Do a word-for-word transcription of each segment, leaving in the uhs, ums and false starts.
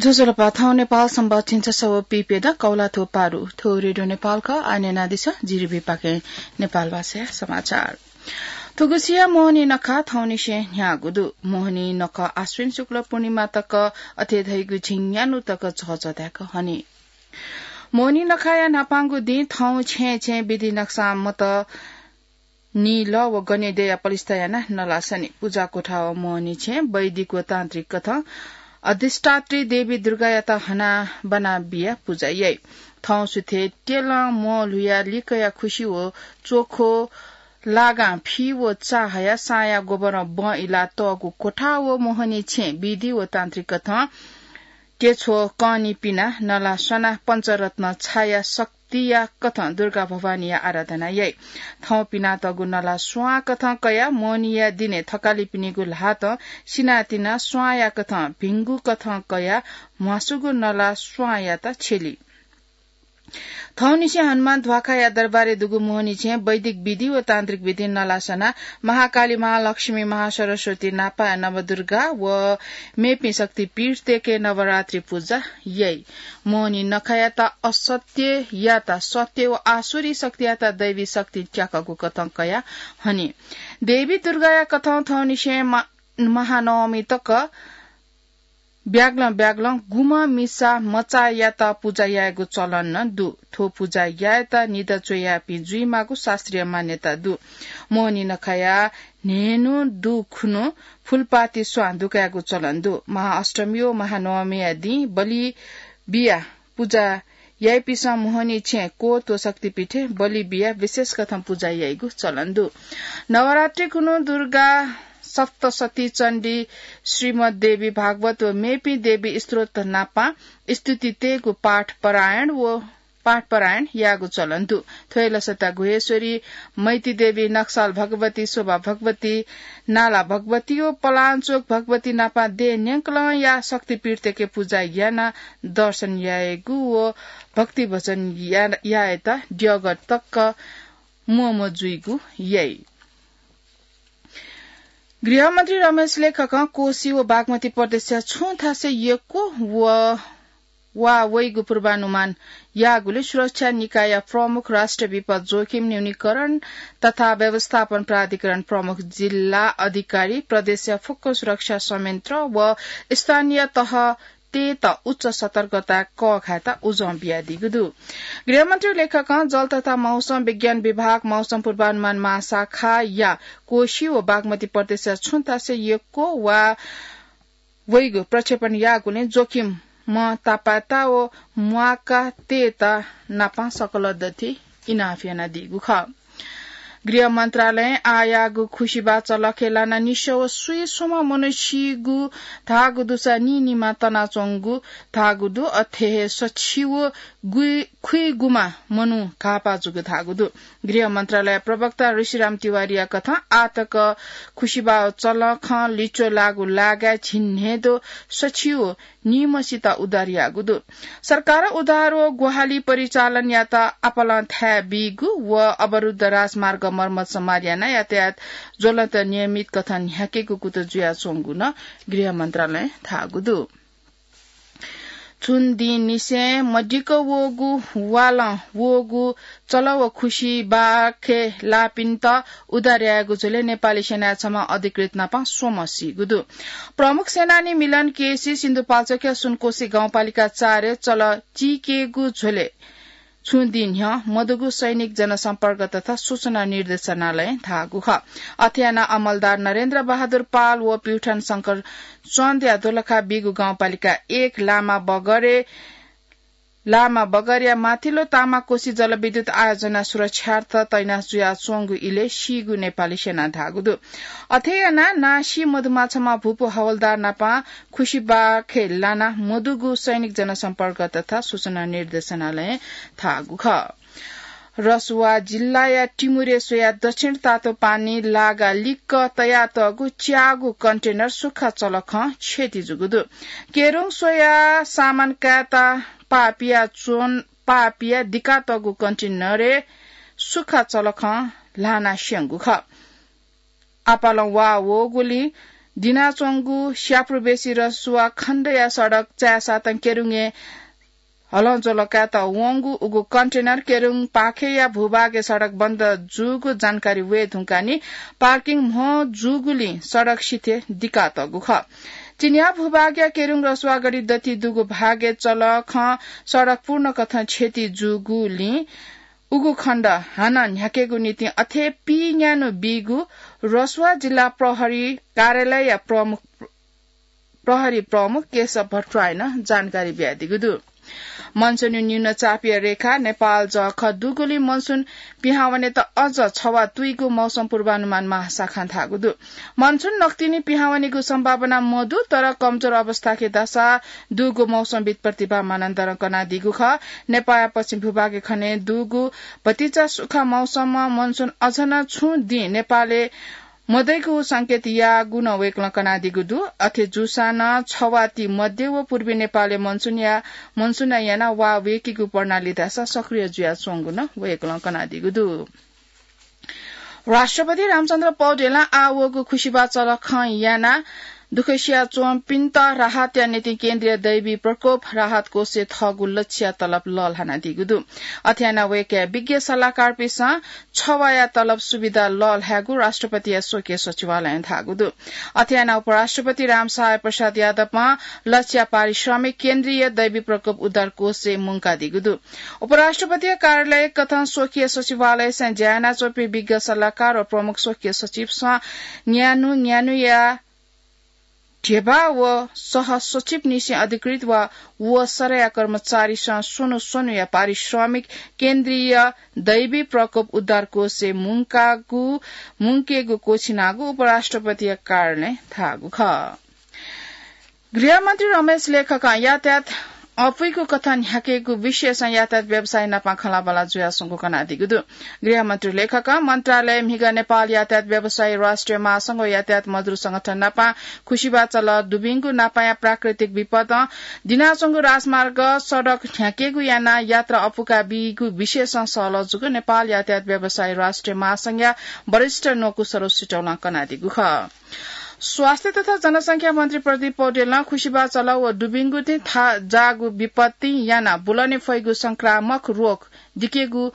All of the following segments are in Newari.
ज्वजलपा, थौं नेपाल संवत् झिंछसः व पीप्यदँ कौलाथ्व पारु। थ्व रेडियो नेपाल खः, आः न्यनादिसँ, जिरिबीपाखें नेपाल भाषाया समाचार। थुगुसिया मोहनी नखः थौंनिसें न्ह्याःगु दु। मोहनी नखः आश्विन शुक्ल पूर्णिमा तक, अथे धइगु झिंन्यान्हु तक झःझः धाय्क हनी। मोहनी नखःया न्हापांगु दिं थौं छेँय् छेँय् विधि नक्सां मत नील व गनेद्यःया पलिस्था यानाः नला सनी। पुजा कोठा व मोहनी छेँ वैदिक व तान्त्रिक कथं अधिष्ठात्री देवी दुर्गायात हनाबना बियाः पुजा याइ। थौं सुथय् त्यलं म्वःल्हुयाः लिकया खुसि व च्वखो लागां फि व चा हयाः साँया गोबरं बँ इलाः तःगु कोठा व मोहनी छेँ विधि व तान्त्रिक कथं केछ्व कनी पिनाः नला सनाः पञ्चरत्न छाया शक्तिया कथं दुर्गा भवानीया आराधना याइ। थौं पिनातःगु नला स्वां कथं कयाः मोहनीया दिनय् थकालिपिनिगु ल्हातं सिनातिना स्वांया कथं भिंगु कथं कयाः म्वासुगु नला स्वांयात छ्यली। थौंनिसें हनुमान ध्वाखाया दरबारय् दुगु मोहनी छेँ वैदिक विधि व तान्त्रिक विधिं नला सनाः महाकाली, महालक्ष्मी, महासरस्वती नापं नवदुर्गा व मेपिं शक्तिपीठतय्के नवरात्रि पुजा याइ। मोहनी नखःयात असत्ययात सत्य व आसुरी शक्तियात दैवी शक्तिं त्याकःगु कथं कयाः हनी। देवी दुर्गाया कथं थौंनिसें मा-, महानवमी तक ब्याग्लं ब्याग्लं गुम्ह मिसा मचायात पुजा यायेगु चलन नं दु। थ्व पुजा यायेत निदँ च्वयापिं जुइमाःगु शास्त्रीय मान्यता दु। मोहनी नखःया न्हय्न्हु दु खुन्हु फुलपाती स्वां दुकायेगु चलन दु। महाअष्टमी व महानवमीया दिं बलि बियाः पुजा याइपिसं मोहनी छेँ कोत व शक्तिपीठय् बलि बियाः विशेष कथं पुजा याइगु चलन दु। नवरात्रि खुन्हु दुर्गा सप्तशती चण्डी, श्रीमद् देवी भागवत व मेपिं देवी स्त्रोत नापं स्तुति तयेगु पाठ पारायण व पाठ पारायण यायेगु चलन दु। थ्वय् लसता गुह्येश्वरी, मैती देवी, नक्साल भगवती, शोभा भगवती, नाला भगवती व पलाञ्चोक भगवती नापं देय् न्यंकलंया शक्तिपीठतय्के पुजा यानाः दर्शन यायेगु व भक्ति भजन या-, यायेत द्यःगः तक म्वःम्वः जुइगु याइ। गृहमन्त्री रमेश लेखकं कोशी व बागमती प्रदेशया छुं थासय् यक्व व वा वइगु पूर्वानुमान याःगुलिं सुरक्षा निकायया प्रमुख राष्ट्रिय विपद जोखिम न्यूनीकरण तथा व्यवस्थापन प्राधिकरण प्रमुख जिल्ला अधिकारी, प्रदेशया फुक्क सुरक्षा संयन्त्र व स्थानीय तह तय्त उच्च सतर्कता कःघायेत उजं बियादीगु दु। गृहमन्त्री लेखकं जल तथा मौसम विज्ञान विभाग, मौसम पूर्वानुमान महाशाखाया कोशी व बागमती प्रदेशया छुं थासय् यक्व वा वइगु प्रक्षेपण याःगुलिं जोखिम तापाय्त व म्वाका तय्त नापं सकल दथुइ इनाप यानादीगु खः। गृह मन्त्रालयं आःयाःगु खुसिबाः चलखय् लानाः निस्वः व स्वीस्वम्ह मनू सीगु धाःगु दुसा नीनिमा तनाच्वंगु धाःगु दु। अथे हे सछि व गुइ-, खुइगुमा मनू घाःपाः जूगु धाःगु दु। गृह मन्त्रालय प्रवक्ता ऋषिराम तिवारीया कथं आःतक खुसिबाः चलखं लिच्वः लाःगु लागाय् झिंन्हय्दँ सछि व निम्हसित उद्धार याःगु दु। सरकारं उद्धार व ग्वाहालि परिचालन यात आपालं थाय् बीगु व अवरुद्ध राजमार्ग मर्मत सम्हार यानाः यातायात ज्वलन्त नियमित कथं न्ह्याकेगु कुतः जुयाच्वंगु नं गृह मन्त्रालयं धाःगु दु। छुं दिंनिसें मदिक्क वःगु वालं वःगु चलः व खुसिबाखय् लाःपिन्त उद्धार यायेगु झ्वलय् नेपाली सेनाया छम्ह अधिकृत नापं स्वम्ह सीगु दु। प्रमुख सेनानी मिलन केसी सिन्धुपाल्चोकया सुनकोशी गाउँपालिका चारय् चलः चीकेगु झ्वलय् छुं दिं न्ह्यः मदुगु सैनिक जनसम्पर्क तथा सूचना निर्देशनालयं धाःगु खः। अथे यानाः अमलदार नरेन्द्र बहादुर पाल व प्युठान शंकर चन्दया दोलखा बीगु गाउँपालिका एक लामा बगरे लामा बगरया माथिल्लो तामाकोशी जलविद्युत आयोजना सुरक्षार्थ तैनाथ जुयाच्वंगु इलय् सीगु नेपाली सेनां धाःगु दु। अथे यानाः नां सी मदुम्ह छम्ह भूपू हवलदार नापं खुसिबाखय् लानाः मदुगु सैनिक जनसम्पर्क तथा सूचना निर्देशनालयं धाःगु खः। रसुवा जिल्लाया टिमुरे स्वयाः दक्षिण तातोपानी लागा लिक्क तयातःगु च्याःगु कन्टेनर सुख्खा चलखं क्षति जूगु दु। केरुङ स्वयाः सामान कायेत पाः पियाच्वन, पाः पियाः दिकातःगु कन्टेनरय् सुख्खा चलखं ल्हानाः स्यंगु खः। आपालं वा वःगुलिं दिनाच्वंगु स्यापुरबेसी रसुवा खण्डया सडक चाय्सातं केरुङय् हलंज्वलं कायेत वंगु उगु कन्टेनर केरुङ पाखेया भूभागय् सडक बन्द जूगु जानकारी वये धुंकाः नि पार्किङ म्हो जूगुलिं सडक सिथय् दिकातःगु खः। चिनियाँ भूभागया केरुङ रसुवागढी दथुइ दुगु भागय् चलखं सडक पूर्ण कथं क्षति जूगुलिं उगु खण्ड हानं न्ह्याकेगु निंतिं अथे पीन्यान्हु बीगु रसुवा जिल्ला प्रहरी कार्यालयया प्रमुख, प्रहरी प्रमुख केशव भट्टराईनं जानकारी बियादीगु दु। मनसुन न्यूनचापीय रेखा नेपाल जःखः दुगुलिं मनसुन पिहां वनेत अझ छवाः तुइगु मौसम पूर्वानुमान महाशाखां धाःगु दु। मनसुन नकतिनि पिहां वनेगु सम्भावना मदु, तर कमजोर अवस्थाय् धाःसा दुगु मौसमविद् प्रतिभा मानन्धरं कनादीगु खः। नेपाःया पश्चिम भूभागय् खने दुगु भतिचा सुखा मौसमं मनसुन अझ नं छुं दिं नेपालय् मदइगु संकेत याःगु नं वय्कलं कनादीगु दु। अथे जूसां नं छवाः ति मध्य व पूर्वी नेपालय् मनसुनया, मनसुनं यानाः वा वय्केगु प्रणाली धाःसा सक्रिय जुयाच्वंगु नं वय्कलं कनादीगु दु। राष्ट्रपति रामचन्द्र पौडेलं आः वःगु खुसिबा चलखं यानाः दुःख सियाच्वंपिन्त राहतया निंतिं केन्द्रीय दैवी प्रकोप राहत कोषय् थःगु लच्छिया तलब लःल्हानादीगु दु। अथे यानाः वय्कःया विज्ञ सल्लाहकारपिन्सं छवाःया तलब सुविधा लःल्हायेगु राष्ट्रपतिया स्वकीय सचिवालयं धाःगु दु। अथे यानाः उपराष्ट्रपति रामसहाय प्रसाद यादवं लच्छिया पारिश्रमिक केन्द्रीय दैवी प्रकोप उद्धार कोषय् मुंकादीगु दु। उपराष्ट्रपतिया कार्यालय कथं स्वकीय सचिवालयसं ज्या यानाच्वंपिं विज्ञ सल्लाहकार व प्रमुख स्वकीय सचिवसं न्यान्हु, न्यान्हुया ध्यबा व सह सचिवनिसें अधिकृत वा वःसरया कर्मचारीसं स्वन्हु स्वन्हुया पारिश्रमिक केन्द्रीय दैवी प्रकोप उद्धार कोषय् मुंकागु, मुंकेगु क्वःछिनागु उपराष्ट्रपतिया कार्यालयं धाःगु खः। गृहमन्त्री रमेश लेखकं यातायात अपुइगु कथं न्ह्याकेगु विषयसं यातायात व्यवसायी नाप खँल्हाबल्हा जुयाच्वंगु कनादीगु दु। गृहमन्त्री लेखकं मन्त्रालय म्हिगः नेपाल यातायात व्यवसायी राष्ट्रिय महासंघ व यातायात मजदुर संगठन नाप खुसिबा चल दुबिंगु नापया प्राकृतिक विपदं दिनाच्वंगु राजमार्ग सडक न्ह्याकेगु यानाः यात्रा अपुका बीगु विषयसं सहलह जूगु नेपाल यातायात व्यवसायी राष्ट्रिय महासंघया वरिष्ठ न्वकू सरोज सिटौलं कनादीगु खः। स्वास्थ्य तथा जनसंख्या मन्त्री प्रदीप पौडेलं खुसिबा चल व दुबिंगु थें थाहां जाःगु विपत्तिं यानाः बुलने फइगु संक्रामक रोग दिकेगु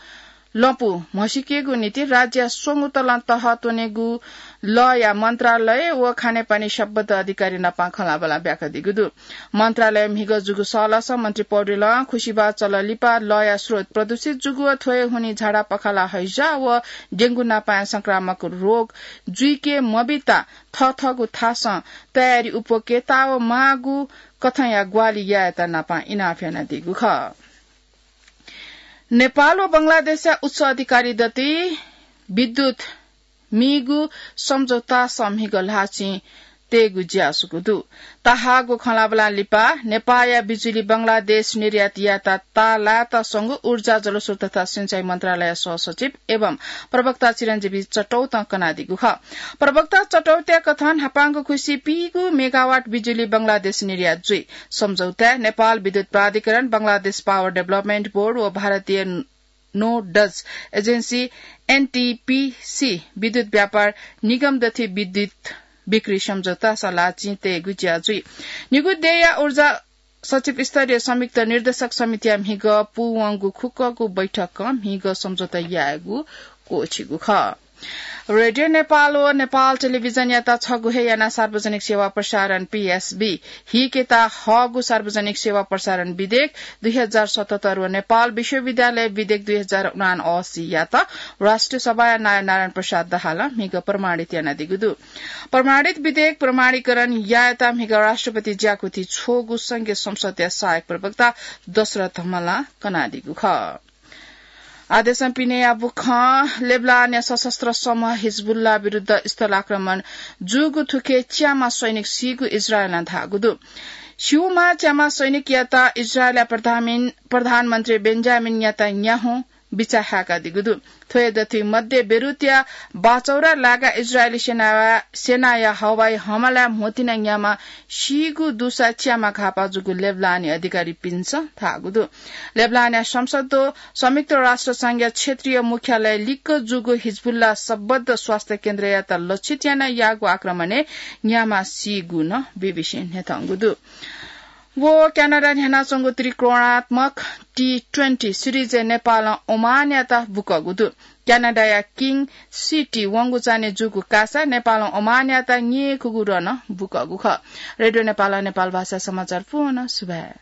लँपु म्हसीकेगु निंतिं राज्यया स्वंगू तलं तह त्वनेगु लःया मन्त्रालय व खानेपानी सम्बद्ध अधिकारी नाप खँल्हाबल्हा ब्याकादीगु दु। मन्त्रालय म्हिगः जूगु सहलहसं मन्त्री पौडेलं खुसिबा चल लिपा लःया स्रोत प्रदूषित जूगु व थ्व हे हुनिं झाडा पखाला हैजा व डेंगु नापया संक्रामक रोग जुइके मबीत थःथःगु थासं तयारी अप्वयेकेत व माःगु कथंया ग्वाहालि यायेत नाप इनाप यानादीगु खः। नेपाल व बंगलादेशया उच्च अधिकारी दथुइ विद्युत मीगु सम्झौतासं म्हिगः ल्हाःचिं तयेगु ज्याझ्वः दु। तःहाकःगु खँल्हाबल्हां लिपा नेपाःया बिजुली बंगलादेश निर्यात यायेत ताःलायेत स्वंगु ऊर्जा, जलस्रोत तथा सिँचाइ मन्त्रालयया सहसचिव एवं प्रवक्ता चिरञ्जीवी चटौतं कनादीगु खः। प्रवक्ता चटौतया कथं न्हापांगु खुसिइ पीगू मेगावाट बिजुली बंगलादेश निर्यात जुइ। सम्झौताय् नेपाल विद्युत प्राधिकरण, बंगलादेश पावर डेभलपमेन्ट बोर्ड व भारतीय नोडज एजेन्सी एनटीपीसी विद्युत व्यापार निगम दथुइ विद्युत बिक्री सम्झौतासं ल्हाःचिं तयेगु ज्या जुइ। निगू देय्‌या ऊर्जा सचिव स्तरीय संयुक्त निर्देशक समितिया म्हिगः पूवंगु खुक्कगु बैठकं म्हिगः सम्झौता यायेगु क्वःछिगु खः। रेडियो नेपाल व नेपाल टेलिभिजनयात छगू हे यानाः सार्वजनिक सेवा प्रसारण, पीएसबी, हीकेत हःगु सार्वजनिक सेवा प्रसारण विधेयक दुई हजार सतहत्तर व नेपाल विश्वविद्यालय विधेयक दुई हजार उनासी यात राष्ट्रिय सभाया नायः नारायण प्रसाद दाहालं म्हिगः प्रमाणित यानादीगु दु। प्रमाणित विधेयक प्रमाणीकरण यायेत म्हिगः राष्ट्रपति ज्याकुथि छ्वःगु संघीय संसदया सहायक प्रवक्ता दशरथ धमलां कनादीगु खः। आदेशं पिनेया बुखं लेबनानया सशस्त्र समूह हिजबुल्ला विरुद्ध स्थल आक्रमण जूगु थुखे च्याम्ह सैनिक सीगु इजरायलं धाःगु दु। स्यूम्ह च्याम्ह सैनिकयात इजरायलया प्रधानमिन-, प्रधानमन्त्री बेन्जामिन नेतान्याहुं बिचाः हाय्कादीगु दु। थ्व दथुइ मध्ये बेरुतया बाचौरा लागा इजरायली सेनाया हवाई हमलाय् म्होतिना न्यामा सीगु दुसा च्यामा घापा जूगु लेबलानी अधिकारीपिन्सं धाःगु दु। लेबलानया संसद्दो संयुक्त राष्ट्र संघया क्षेत्रीय मुख्यालय लिक्क जूगु हिजबुल्ला सबद्ध स्वास्थ्य केन्द्रयात लक्षित याना याःगु आक्रमणय् न्यामा सीगु नं बीबीसीं न्ह्यथंगु दु। व क्यानाडा न्ह्यानाच्वंगु त्रिकोणात्मक टी ट्वेन्टी सिरिजय् नेपालं ओमानयात बुकःगु दु। क्यानाडाया किङ सिटी वंगु चान्हय् जूगु कासा नेपालं ओमानयात न्यय्‌कूगु रनं बुकःगु खः। रेडियो नेपालं नेपाल भाषा समाचार पूवं सुभाय्।